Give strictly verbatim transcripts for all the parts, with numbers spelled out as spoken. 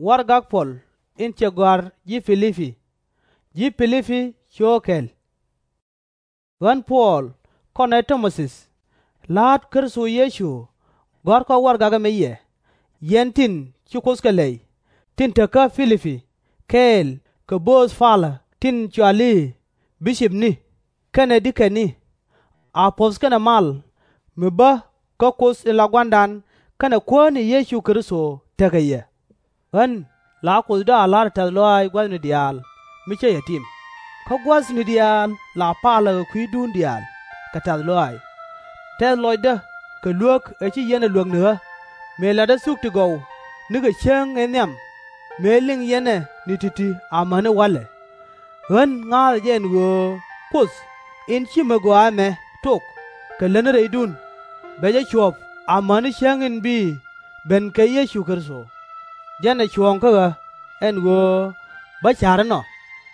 Warɛgak Puɔl in cɛ gɔ̱a̱r ji̱ Pi-li-pi Ji̱ Pi-li-pi Co̱o̱k Kɛl. Ɣän Puɔl, kɔnɛ Ti-mo-thi, la̱a̱t Kritho Yecu, gɔ̱a̱rkɔ warɛgak ɛmɛ yɛ, yɛn tin ci Kuoth kɛ lɛy, tin te kä Pi-li-pi kɛɛl kɛ bööth palä tin cɔal i̱ bi-cipni kɛnɛ di-kɛni. A puɔ̱th kɛnɛ mal mi bä kä Kuoth in la Gua̱a̱ra kɛnɛ Kuäär ni Yecu Kritho tekɛ yɛ. Ɣän la Kuothdä a la̱rä tɛ̈th lɔaac gua̱thni diaal mi cä yɛ tim, kä gua̱thni diaal la palä kɛ kui̱dun diaal kɛ tɛ̈th lɔaac. Tɛth lɔcdä kɛ luek ëë ci yɛn ɛ luäk ni ɣä, mëë latdä thuk ti gɔw nikɛ cäŋ ëë nhiam, mëë liŋ yɛn ɛ ni ti̱ti̱ amäni wa̱lɛ. Ɣän ŋa̱a̱thä jɛ ɛn ɣöö Kuoth in ci mi gɔaa ɛmɛ tok kɛ lätni rɛydun, bɛ jɛ cuɔ̱p amäni cäŋ in bi ben kɛ Yecu Kritho. Jɛn ɛ cuɔ̱ɔ̱ŋ kä ɣä ɛn ɣöö bä ca̱r inɔ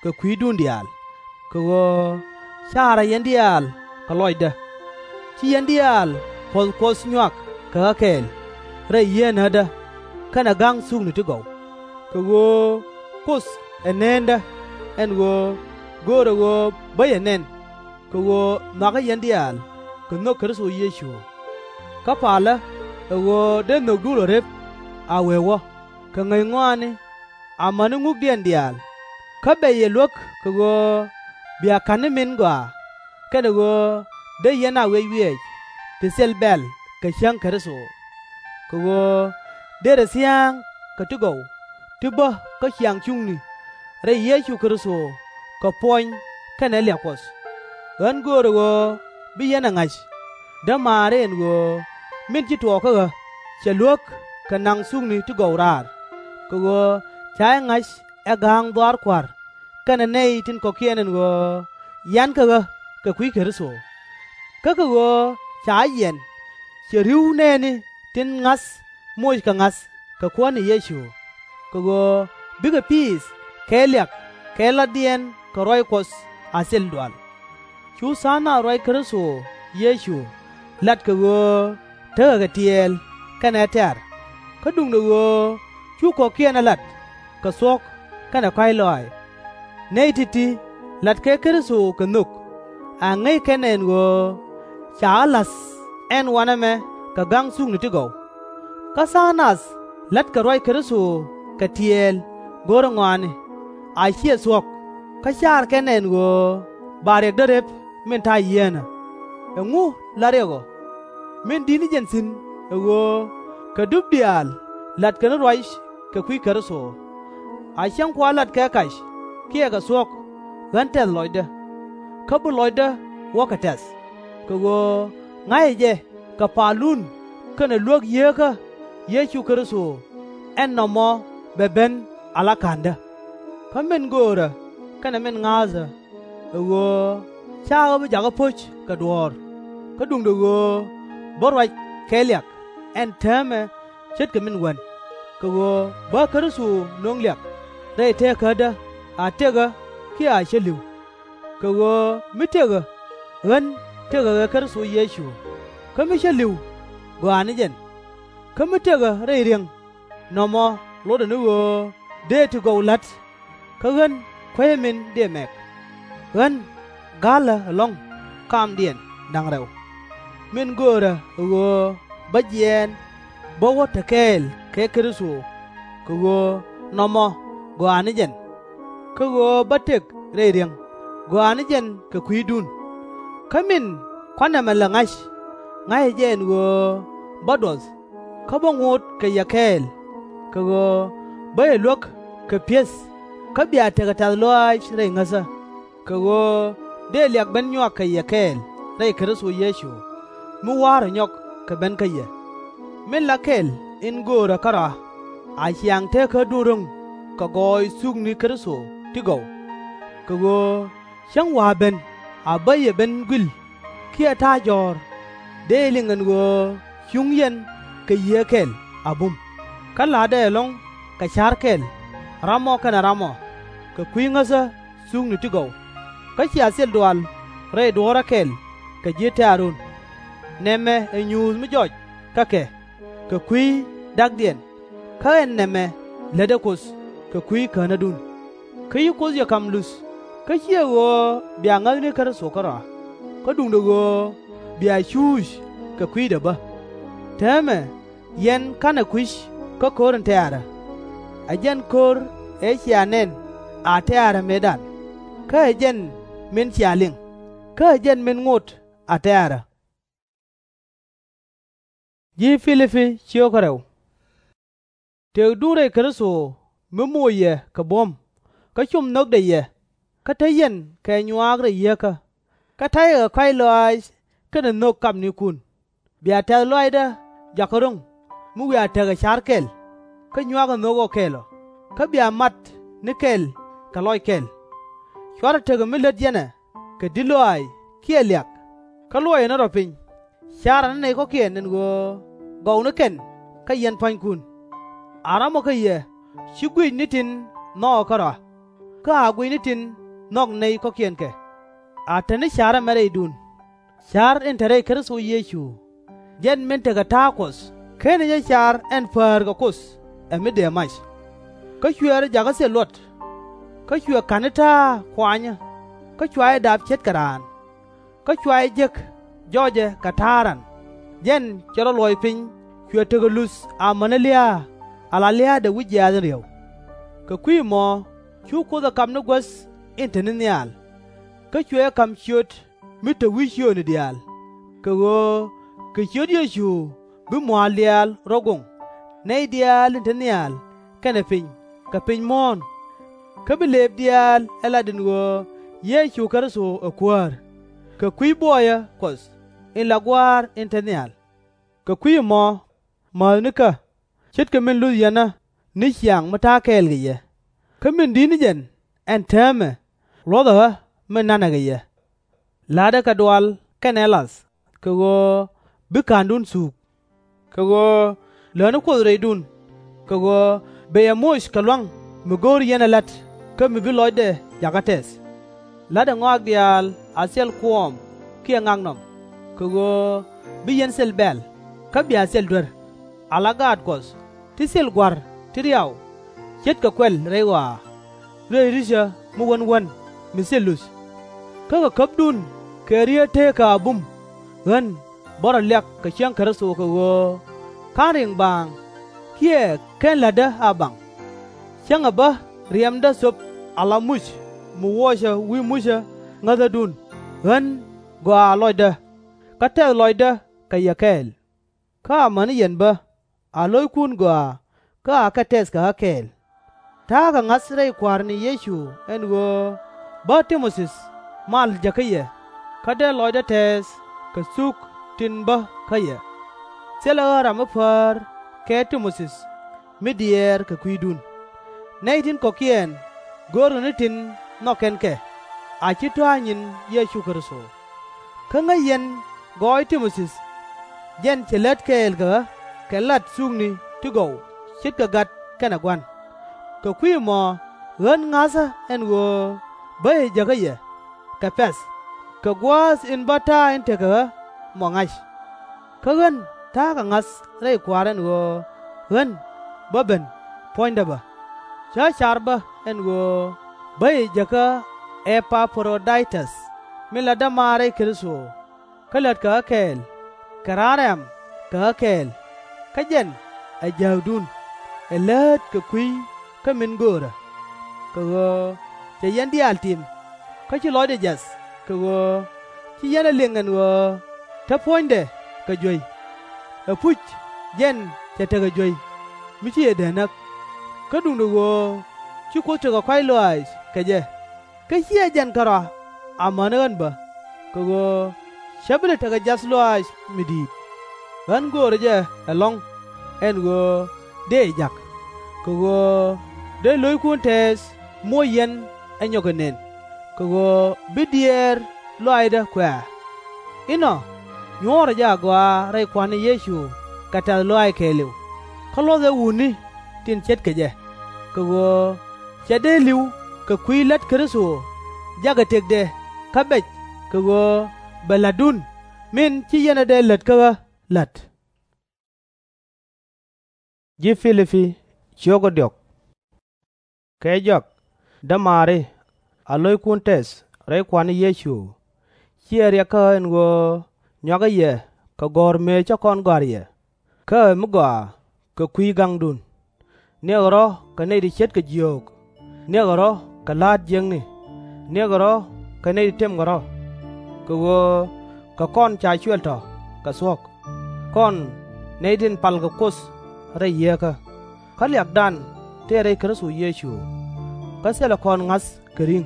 kɛ kui̱dun diaal, kɛ ɣöö caarä yɛn diaal kɛ lɔcdä. Ci yɛn diaal puɔ̱th Kuɔth nyuak kɛ ɣä kɛɛl rɛy yieenädä kɛnɛ ga̱ŋ thukni ti gɔw. Kɛ ɣöö Kuoth ɛ neendä ɛn ɣöö göörä ɣöö bä yɛ nɛn, kɛ ɣöö nhɔakä yɛn diaal kɛ nhök Kritho Yecu. Kä palä ɛ ɣöö dee nhökdun rɔ rep a wee wä kɛ ŋäc ŋɔaani amäni ŋukdiɛn diaal, kä bɛ yɛ luäk kɛ ɣöö bia ka̱n ni min gɔaa, kɛnɛ ɣöö dee yɛn a wiɛc wiɛɛc ti thil bɛ̈l kɛ cäŋ Kritho. Kɛ ɣöö dërɛ thia̱a̱ŋ kɛ ti gɔw ti bä kä ciaŋ cuŋni rɛy Yecu Kritho kɛ puɔ̱ny kɛnɛ liak Kuɔth. Ɣän göörä ɣöö bi yɛn ɛ ŋa̱c, dämaari ɛn ɣöö min ci tuɔɔk kä ɣä cɛ luäk kɛ naŋ thukni ti gɔw raar, kɛ ɣöö ca jɛ ŋa̱c ɛ ga̱a̱ŋ dhɔaar Kua̱r kɛnɛ nɛy tin kɔ̱kiɛn ɛn ɣöö yan kä ɣä kɛ kui̱ Kritho. Kä kɛ ɣöö ca jɛ jiɛn, cɛ ri̱w nɛɛni tin ŋa̱th moc kɛ ŋa̱th kɛ Kuäär ni Yecu, kɛ ɣöö bikɛ piith kɛ liak kɛ latdiɛn kɛ ruac Kuɔth a thil dual. Cu tha̱a̱ŋ nath ruac Kritho Yecu lat kɛ ɣöö tekɛ kɛ tiɛɛl kɛnɛ tɛ̈r, kä duundɛ ɣöö cu kɔ̱kiɛn ɛ lat kɛ thuɔ̱k kɛnɛ kɔ̱a̱c lɔaac. Nɛy ti̱ti̱ latkɛ Kritho kɛ nhök, a ŋäc kɛn ɛn ɣöö ca ɣä la̱th ɛn wanɛ mɛ kɛ ga̱ŋ thukni ti gɔw. Kä tha̱a̱ŋ nath la̱tkɛ ruac Kritho kɛ tiɛɛl go̱rä ŋɔaani, a /ciɛ thuɔ̱k, kä caar kɛn ɛn ɣöö ba riɛkdä rep min ta̱a̱ yieenä. Ɛŋu la riɛk ɔ? Min di̱t ni jɛn thi̱n ɛ ɣöö kɛ dup diaal latkɛ ni ruac kɛ kui̱ Kritho. A cäŋ kua lat kɛ kac kiɛ kɛ thuɔ̱k, ɣän tɛth lɔcdä, kä bi lɔcdä wä kɛ tɛ̈th, kɛ ɣöö ŋa̱cä jɛ kɛ palun kɛnɛ luäk Yieekä Yecu Kritho, ɛn nɔmɔ bɛ ben ala ka̱ndä. Kä min göörä kɛnɛ min ŋa̱a̱thä ɛ ɣöö /ca ɣä bi jakä po̱c kɛ duɔ̱ɔ̱r, kä duundɛ ɣöö bä ruac kɛ liak ɛn täämɛ ce̱tkɛ min wän, kɛ ɣöö bä Kritho nöŋ liak rɛy teekädä a tëk ɣä kiɛ a cä li̱w. Kɛ ɣöö mi tëk ɣä, ɣän tëkɛ ɣöö Kritho Yecu, kä mi cä li̱w, gɔaa ni jɛn. Kä mi tëk ɣä rɛy ri̱eŋ, nɔmɔ lotdɛ ni ɣöö dëë ti gɔw la̱t, kä ɣän kuecä min dëë mɛk. Ɣän ga̱lä ɛlɔ̱ŋ kamdiɛn da̱ŋ rɛw. Min göörä ɛ ɣöö bä jiɛɛn bä wä te kɛɛl kɛ Kritho, kɛ ɣöö nɔmɔ gɔaa ni jɛn. Kä ɣöö bä tëk rɛy ri̱eŋ, gɔaa ni jɛn kɛ kui̱dun. Kä min kua̱r nɛmɛ lɛ ŋa̱c, ŋa̱cä jɛ ɛn ɣöö bä duɔth, kä bä ŋot kɛ yɛ kɛɛl, kɛ ɣöö bä yɛ luäk kɛ pi̱eth, kä bia tekɛ tɛ̈th lɔaac rɛy ŋäthä, kɛ ɣöö dëë liak ben nyuak kɛ yɛ kɛɛl rɛy Kritho Yecu, mi wa̱a̱ rɔ nyɔk kɛ ben kä yɛ. Min la kɛl in göörä kärɔa, a ciaŋ teekädun ro̱ŋ kɛ gɔɔy thukni Kritho ti gɔw, kɛ ɣöö cäŋ wa̱a̱ ben a bä yɛ ben gui̱l kiɛ ta̱a̱ jɔ̱ɔ̱r, dëë liŋ ɛn ɣöö cuŋ yɛn kɛ Yiëë kɛl a bum, kä la̱tdɛ ɛlɔ̱ŋ kɛ ca̱r kɛl, ram ɔ kɛnɛ ram ɔ, kɛ kui̱ ŋäthä thukni ti gɔw. Kä cia thil dual rɛy duɔ̱ɔ̱rä kɛl kɛ ji̱ tɛ̈run. Nɛmɛ ɛ nyuuth mi jɔc kä kɛ, kɛ kui̱ da̱kdiɛn, kä ɛn nɛmɛ lätdɛ Kuoth kɛ kui̱ känädun. Kä ci Kuoth yɛ ka̱m luth, kä /ciɛ ɣöö bia ŋäthni Kritho kärɔa, kä duundɛ ɣöö bia cuuc kɛ kui̱dɛ bä. Täämɛ yɛn /ka̱nɛ kui̱c kä ko̱r in tɛ̈rä. Ɛ jɛn ko̱r ëë cia nɛn a tɛ̈rä mëëdan, kä ɛ jɛn min cia liŋ, kä ɛ jɛn min ŋot a tɛ̈rä. Tëkdun rɛy Kritho, mi moc yɛ kɛ buɔ̱m, kä com nhökdɛ yɛ, kä te yɛn kɛ nyuaak rɛy yieekä, kä ta̱yɛ kɛ kɔ̱a̱c lɔaac kɛnɛ nhök kapnikun, bia tɛ̈th lɔaacdä jakä ro̱ŋ mi wiaa tekɛ ca̱r kɛl, kä nyuakɛ nhök ɔ kɛl ɔ, kä bia mat ni kɛl kɛ lɔc kɛl. /Cuarɛ tekɛ mi lät yɛn ɛ kɛ di̱t lɔaac kiɛ liak, kä luɔcɛ ni rɔ piny, carɛ ni nɛy kɔ̱kiɛn ɛn ɣöö gɔw ni kɛn kä yɛn pua̱nykun. A ramɔ kä yɛ /ci guic ni tin nhɔkɛ kärɔa, kä a guic ni tin nhɔk nɛy kɔ̱kiɛn kɛ. A te ni ca̱r ɛmɛ rɛydun, ca̱r in te rɛy Kritho Yecu, jɛn min tekɛ ta̱a̱ Kuɔth /kenɛ jɛ car ɛn päär kɛ Kuoth ɛ mi dëë mac. Kä cuɛ rɔ jakä thil luɔt, kä cuɛ ka̱n ni ta̱a̱ kuanyä, kä cua jɛ dap ce̱tkɛ raan, kä cua jɛ jek jɔcɛ kɛ ta̱a̱ ran, jɛn cɛ rɔ luɔc piny cuɛ tekɛ luth amäni lia̱a̱, ala lia̱a̱dɛ wi̱c jiaath in ri̱ew. Kɛ kui̱ ɛmɔ cu Kuoth ɛ ka̱m ni guäth in te ni nhial, kä cuɛ jɛ ka̱m ciöt mi te wi̱i̱ ciöötni diaal, kɛ ɣöö kɛ ciöt Yecu bi mua̱a̱l diaal rɔ̱ goŋ, nɛy diaal tin te nhial kɛnɛ piny kɛ piny muɔ̱ɔ̱n. Kä bi lëëp diaal ɛ lat ɛn ɣöö Yecu Kritho ɛ Kuäär, kɛ kui̱ buɔyä Kuɔth in la Gua̱a̱r in te nhial. Kɛ kui̱ ɛmɔ, mäthnikä, ce̱tkɛ min luth yɛn ɣä ni ciaŋ mi ta̱a̱ kɛɛl kɛ yɛ, kä min di̱t ni jɛn ɛn täämɛ luɔ̱thɛ ɣä min na̱nɛ kɛ yɛ. La̱tdɛ kɛ dual kɛnɛ lath, kɛ ɣöö bi ka̱ndun thuuk. Kɛ ɣöö lätni Kuoth rɛydun, kɛ ɣöö bɛ yɛ moc kɛ lua̱ŋ mi go̱o̱r yɛn ɛ la̱t kä mi bi lɔcdɛ jakä tɛth. La̱tdɛ ŋɔak diaal a thil kuɔɔm kiɛ ŋaknɔm, kɛ ɣöö bi yɛn thil bɛ̈l, kä bia thil duer, ala gaat Kuɔth ti thil gua̱r ti riaw, ce̱tkɛ kuɛl rɛy ɣɔaa, rɛy ri̱cä mi wän wän mi thil luth. Kä kɛ käpdun kɛ riet tëkä a bum, ɣän bä rɔ liak kɛ cäŋ Kritho, kɛ ɣöö /ka̱n riŋ baaŋ, kiɛ /ken la̱tdä a baŋ. Cäŋɛ bä riɛmdä thöp ala muc mi wuɔcä wi̱i̱ mucä ŋäthädun, ɣän gɔaa lɔcdä, kä tɛth lɔcdä kɛ yɛ kɛɛl. Kä amäni yɛn bä, a lo̱ckun gɔaa kä akɛ tɛth kɛ ɣä kɛɛl. Ta̱a̱ kɛ ŋa̱th rɛy Kua̱r ni Yecu ɛn ɣöö bä Ti-mo-thi mal jäkä yɛ, kä dee lɔcdä tɛɛth kɛ thuk tin bä kä yɛ. Thilɛ ɣä ram mi päär kɛ Ti-mo-thi mi diɛɛr kɛ kui̱dun. Nɛy tin kɔ̱kiɛn görkɛ ni tin nhɔk kɛn kɛ, a /ci tɔ̱a̱ nyin Yecu Kritho. Kä ŋäc yɛn gɔɔy Ti-mo-thi, jɛn cɛ lät kɛɛl kɛ ɣä kɛ lat thukni ti gɔw ce̱tkɛ gat kɛnɛ gua̱n. Kɛ kui̱ ɛmɔ ɣän ŋa̱thä ɛn ɣöö bä jɛ jäkä yɛ, kɛ pɛ̈th, kɛ gua̱a̱th in bä ta̱a̱ in tekɛ ɣä mɔ ŋa̱c. Kä ɣän ta̱a̱ kɛ ŋa̱th rɛy Kua̱r ɛn ɣöö ɣän bä ben puɔ̱nydä bä. Cä car bä ɛn ɣöö bä jɛ jäkä Ɛ-pa-pro-day-täth min la dämaar rɛy Kritho, kä lät kɛ ɣä kɛɛl, kɛ raan ram kɛ ɣä kɛɛl, kä jɛn ɛ jääkdun, ɛ läät kɛ kui̱ kä min göörä. Kɛ ɣöö cɛ yɛn diaal tim, kä ci lɔcdɛ jiath, kɛ ɣöö ci yɛn ɛ liŋ ɛn ɣöö te puɔ̱nydɛ kɛ juey. Ɛpuc jɛn cɛ tekɛ juey, mi ci jɛ dee näk. Kä duundɛ ɣöö ci Kuoth tekɛ kɔ̱a̱c lɔaac kɛ jɛ, kä /ciɛ jɛn kärɔa amäni ɣän bä, kɛ ɣöö /cä bi lɛ tekɛ jiath lɔaac mi di̱i̱t. Ɣän göörä jɛ ɛlɔ̱ŋ ɛn ɣöö dëë jak, kɛ ɣöö dee lo̱ckun tɛɛth moc yɛn ɛ nyɔk kɛ nën, kɛ ɣöö bi diɛɛr lɔaacdä kuɛ̈ɛ̈. Inɔ nyuɔ̱ɔ̱rä jɛ agɔaa rɛy Kua̱r ni Yecu kɛ tɛ̈th lɔaac kɛɛliw, kä luɔ̱thɛ wutni tin ce̱tkɛ jɛ, kɛ ɣöö /cɛ dee li̱w kɛ kui̱ la̱t Kritho jakɛ tëkdɛ kä bɛc, kɛ ɣöö bɛ la̱tdun min ci yɛn ɛ dee lät kä ɣä la̱t. Ji̱ Pi-li-pi, ciök kä diɔ̱k. Kɛ jɔak, dämaari, a lo̱ckun tɛth rɛy Kua̱r ni Yecu, /ciɛ riɛk kä ɣä ɛn ɣöö nyɔakä yɛ kɛ gɔ̱r mëë cä kɔn gɔ̱a̱r yɛ, kä ɛ mi gɔaa kɛ kui̱ gaŋdun. Niɛkɛ rɔ̱ kɛ nɛy ti ce̱tkɛ jiöök, niɛkɛ rɔ̱ kɛ la̱a̱t jiäkni, niɛkɛ rɔ̱ kɛ nɛy ti temkɛ rɔ̱. Kɛ ɣöö kɛ kɔn ca cuɛl tɔ̱ kɛ thuɔ̱k, kɔn nɛy tin palkɛ Kuoth rɛy yieekä. Kä liakdan tëë rɛy Kritho Yecu. Kä thilɛ kɔn ŋa̱th kɛ ri̱ŋ,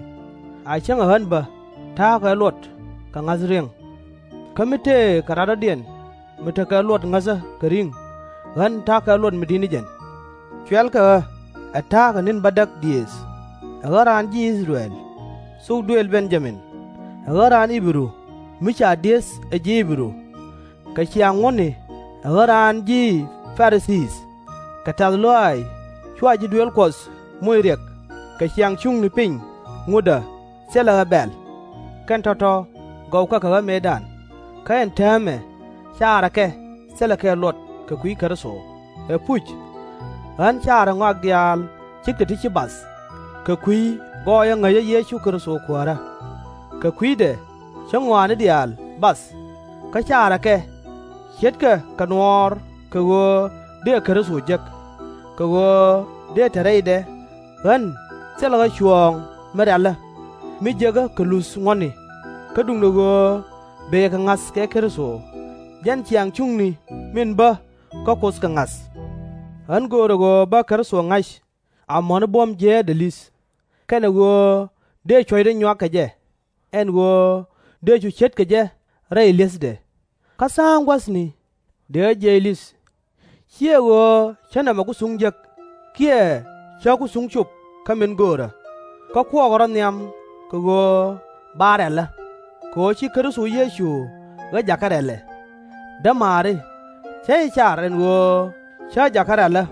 a cäŋɛ ɣän bä ta̱a̱ kɛ luɔt kɛ ŋa̱th riɛŋ. Kä mi tëëkɛ radɔ̱diɛn mi tekɛ luɔt ŋäthä kɛ ri̱ŋ, ɣän ta̱a̱ kɛ luɔt mi di̱t ni jɛn. Cuɛ̈lkɛ ɣä ɛ ta̱a̱ kɛ ni̱n bädäk diëëth, ɛ ɣän raan ji̱ I-thɛ-rɛl, thok duëël Ben-ya-min, ɛ ɣän raan I-bɛ-ru mi ca di̱eth ɛ ji̱ I-bɛ-ru, kɛ ciaŋ ŋuɔ̱tni ɛ ɣän raan ji̱ Pa-ri-thii, kɛ tɛ̈th lɔaac cua ji̱ duëël Kuɔth moc riɛk, kɛ ciaŋ cuŋni piny ŋutdä thilɛ ɣä bɛ̈l. Kɛn tɔ̱tɔ̱ gɔwkɛ kɛ ɣä mëëdan, kä ɛn täämɛ caarɛ kɛ thilɛ kɛ luɔt kɛ kui̱ Kritho. Ɛpuc, ɣän caarɛ ŋɔak diaal ce̱tkɛ ti ci bath, kɛ kui̱ gɔɔyä ŋäcä Yecu Kritho Kuäärä. Kɛ kui̱dɛ cä ŋɔaani diaal bath, kä caarɛ kɛ ce̱tkɛ kɛ nuɔɔr kɛ ɣöö dëë Kritho jek, kɛ ɣöö dëë te rɛydɛ ɣän thilɛ ɣä cuɔ̱ɔ̱ŋ mi rɛ̈lä, mi jiekä kɛ luth ŋuɔ̱tni, kä duundɛ ɣöö bëë kɛ ŋa̱th kɛ Kritho, jɛn ciaŋ cuŋni min bä kä Kuoth kɛ ŋa̱th. Ɣän göörä ɣöö bä Kritho ŋa̱c amäni buɔ̱m jiäätdɛ li̱th, kɛnɛ ɣöö dëë cuɔ̱cdɛ nyuak kɛ jɛ, ɛn ɣöö dëë cu ce̱tkɛ jɛ rɛy li̱ethdɛ. Kä tha̱a̱ŋ gua̱thni dëë ɣä jiɛc li̱th, /ciɛ ɣöö cä nɛmɛ ku thuŋ jek, kiɛ cä ku thuŋ cop kä min göörä, kä kuɔɔkɛ rɔ̱ nhiam kɛ ɣöö ba rɛ̈lä, kɛ ɣöö ci Kritho Yecu ɣä jakä rɛ̈lɛ. Dämaari, cä jɛ car ɛn ɣöö cä jakä rɛ̈lä,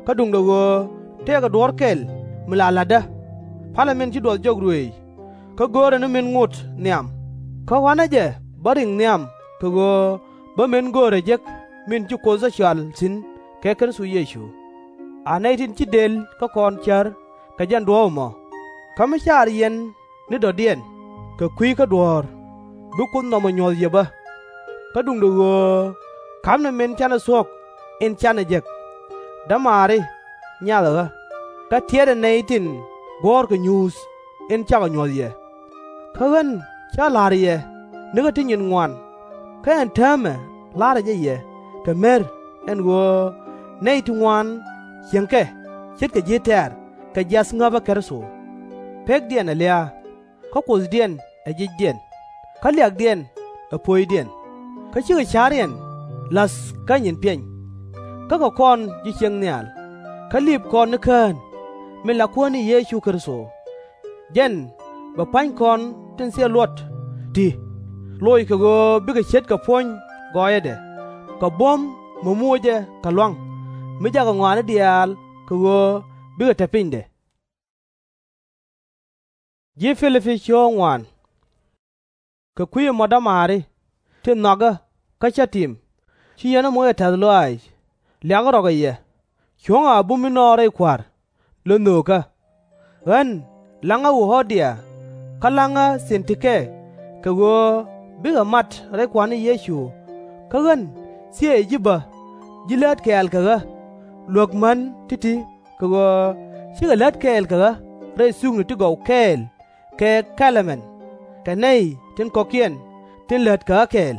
kä duundɛ ɣöö tëëkɛ duɔ̱ɔ̱r kɛl mi la la̱tdä. Pa̱lɛ min ci duɔth jɔk ruëëc, kä görɛ ni min ŋot nhiam, kä ɣɔ̱a̱nä jɛ bä riŋ nhiam kɛ ɣöö bä min göörä jek min ci Kuoth ɣä cɔal thi̱n kɛ Kritho Yecu. A nɛy tin ci dël kä kɔn cär kɛ jɛn duɔ̱ɔ̱p ɛmɔ. Kä mi car yɛn ni dɔ̱diɛn kɛ kui̱ kä duɔ̱ɔ̱r, bi Kuoth nɔmɔ nyuɔ̱th yɛ bä. Kä duundɛ ɣöö ka̱pnɛ min canɛ thuɔ̱k in canɛ jek. Dämaari, nyathɛ ɣä, kä tiɛtdɛ nɛy tin guɔ̱ɔ̱rkɛ nyuuth in cakɔ nyuɔ̱th yɛ. Kä ɣän cä la̱r yɛ nikä ti nyin ŋuan, kä ɛn täämɛ la̱rä jɛ yɛ kɛ mer, ɛn ɣöö nɛy ti ŋuan cieŋkɛ ce̱tkɛ ji̱ tɛ̈r kɛ jiath ŋäpä Kritho. Pekdiɛn ɛ lia̱a̱, kä kuothdiɛn ɛ jicdiɛn, kä liakdiɛn ɛ puɔ̱nydiɛn, kä cikɛ ca̱riɛn la̱th kä nyin piɛny. Kä kɛ kɔn ji̱ ciëŋ nhial, kä liip kɔn ni kään, min la Kuäär ni Yecu Kritho. Jɛn bɛ pa̱ny kɔn tin thil luɔt ti loc kɛ ɣöö bikɛ ce̱tkɛ puɔ̱ny gɔɔyädɛ, kɛ buɔ̱m mi moc jɛ kɛ lua̱ŋ, mi jakɛ ŋɔaani diaal kɛ ɣöö bikɛ te pinydɛ. Kɛ kui̱ ɛmɔ dämaari, tin nhɔakä kä cä tim, ci yɛn ɣä moc kɛ tɛ̈th lɔaac, liakä rɔ kɛ yɛ, cuɔ̱ŋɛ a bum inɔ rɛy Kua̱r, lö nhöökä. Ɣän la̱ŋä Ɣöödia kä la̱ŋä Thin-ti-kɛ kɛ ɣöö bikɛ mat rɛy Kua̱r ni Yecu. Kä ɣän thiëëcä ji̱ bä, ji̱ lät kɛɛl kɛ ɣä, luäk män ti̱ti̱ kɛ ɣöö cikɛ lät kɛɛl kɛ ɣä rɛy thukni ti gɔw kɛɛl kɛ Kɛ-lɛ-mɛn, kɛ nɛy tin kɔ̱kiɛn tin lät kɛ ɣä kɛɛl,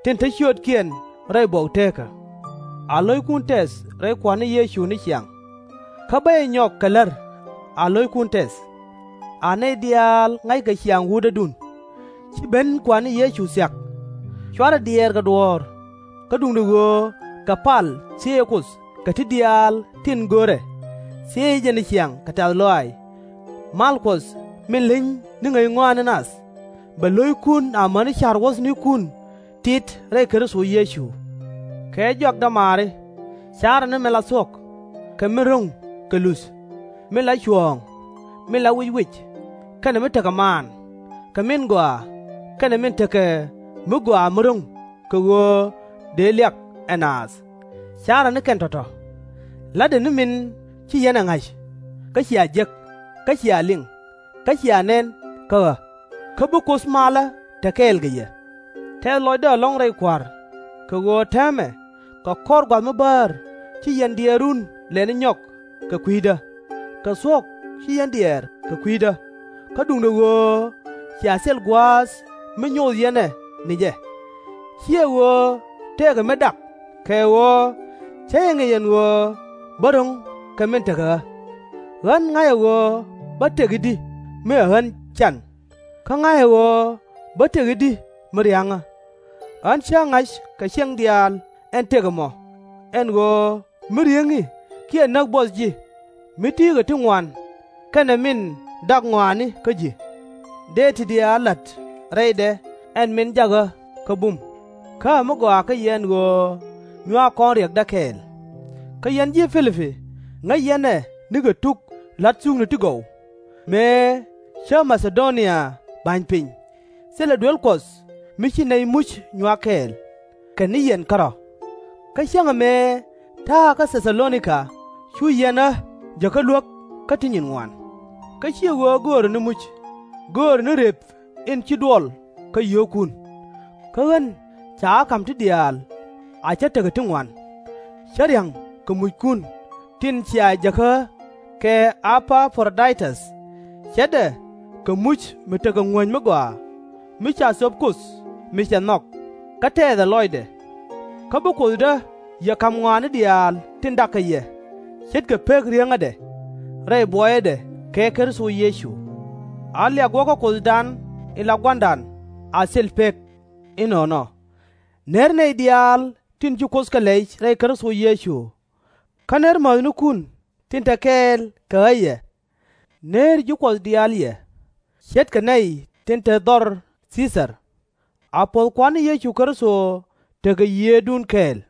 tin te ciötkiɛn rɛy buɔk teekä. A lo̱ckun tɛth rɛy Kua̱r ni Yecu ni ciaŋ. Kä bä jɛ nyɔk kɛ lär a lo̱ckun tɛth. A nɛy diaal ŋa̱ckɛ ciaŋ wutdädun. Ci ben Kua̱r ni Yecu thia̱k. /Cuarɛ diɛɛr kɛ duɔ̱ɔ̱r, kä duundɛ ɣöö kɛ pal thiëëcä Kuoth kɛ ti diaal tin görɛ, thiëëcä jɛ ni ciaŋ kɛ tɛ̈th lɔaac. Mal Kuɔth min leny ni ŋäc ŋɔaani nath, bɛ lo̱ckun amäni ca̱r wuɔ̱thnikun tit rɛy Kritho Yecu. Kɛ jɔak dämaari, ca̱rä ni min la thuɔ̱k, kɛ min ro̱ŋ kɛ luth, min la cuɔ̱ɔ̱ŋ, min la wic wic, kɛnɛ mi tekɛ maan, kɛ min gɔaa, kɛnɛ min tekɛ mi gɔaa mi ro̱ŋ kɛ ɣöö dëë liak ɛ naath. Ca̱rä ni kɛn tɔ̱tɔ̱. La̱tdɛ ni min ci yɛn ɛ ŋa̱c, kä cia jek. kä cia liŋ, kä cia nɛn kä ɣä, kä bi Kuoth malä te kɛɛl kɛ yɛ. Tɛth lɔcdä ɛlɔ̱ŋ rɛy Kua̱r, kɛ ɣöö täämɛ kɛ kɔr gua̱th mi bäär ci yɛn diɛɛrun lɛni nyɔk kɛ kui̱dä, kɛ thuɔ̱k ci yɛn diɛɛr kɛ kui̱dä, kä duundɛ ɣöö cia thil gua̱a̱th mi nyoth yɛn ɛ ni jɛ. /Ciɛ ɣöö tëëkɛ mi dak, kɛ ɣöö cä jɛ ŋi̱c ɛn ɣöö bä ro̱ŋ kɛ min tekɛ ɣä. Ɣän ŋa̱cä ɣöö bä tëk i̱di mi ɛ ɣän can, kä ŋa̱cä ɣöö bä tëk i̱di mi ria̱ŋä. Ɣän cä ŋa̱c kɛ ciɛŋ diaal ɛn tëk ɛmɔ, ɛn ɣöö mi riäŋi kiɛ näk buɔth ji̱, mi ti̱i̱kɛ ti ŋuan, kɛnɛ min dak ŋɔaani kä ji̱. Dëë ti diaal la̱t rɛydɛ ɛn min jak ɣä kä bum, kä ɛ mi gɔaa kä yɛ ɛn ɣöö nyuak kɔn riɛkdä kɛɛl. Kä yɛn ji̱ Pi-li-pi ŋäc yɛn ɛ nikɛ tuk la̱t thukni ti gɔw, mëë cä Ma-tha-do-nia ba̱ny piny, thilɛ duel Kuɔth mi ci nɛy muc nyuak kɛɛl, kɛ ni yɛn kärɔ̱. Kä cäŋɛ mëë ta̱a̱ kä Thɛ-tha-lo-ni-ka cu yɛn ɣä jäkä luäk kä ti nyin ŋuan, kä /ciɛ ɣöö göörä ni muc, göörä ni rep in ci duɔl kä yio̱o̱kun. Kä ɣän ca ɣä ka̱m ti diaal a cä tekɛ ti ŋuan, cä ria̱ŋ kɛ muckun tin cia jäkä ɣä kɛ E-pa-pro-day-täth, ce̱tdɛ kɛ muc mi tekɛ ŋuäny mi gɔaa, mi ca thöp Kuoth mi cɛ nhɔk, kä tɛɛthɛ lɔcdɛ. Kä bi Kuothdä yɛ ka̱m ŋɔaani diaal tin dak kä yɛ, ce̱tkɛ pek rieŋädɛ rɛy buɔyädɛ kɛ Kritho Yecu. A liak wä kä Kuothdan in la Gua̱a̱ra a thil pek. Inɔnɔ. Ner nɛy diaal tin ci Kuoth kɛ lɛy rɛy Kritho Yecu. Kä ner mäthnikun tin te kɛɛl kɛ ɣä yɛ. Ner ji̱ Kuɔth diaal yɛ, ce̱tkɛ nɛy tin te dhɔr Thii-thar. A puɔ̱th Kua̱r ni Yecu Kritho tekɛ Yiëëdun kɛɛl.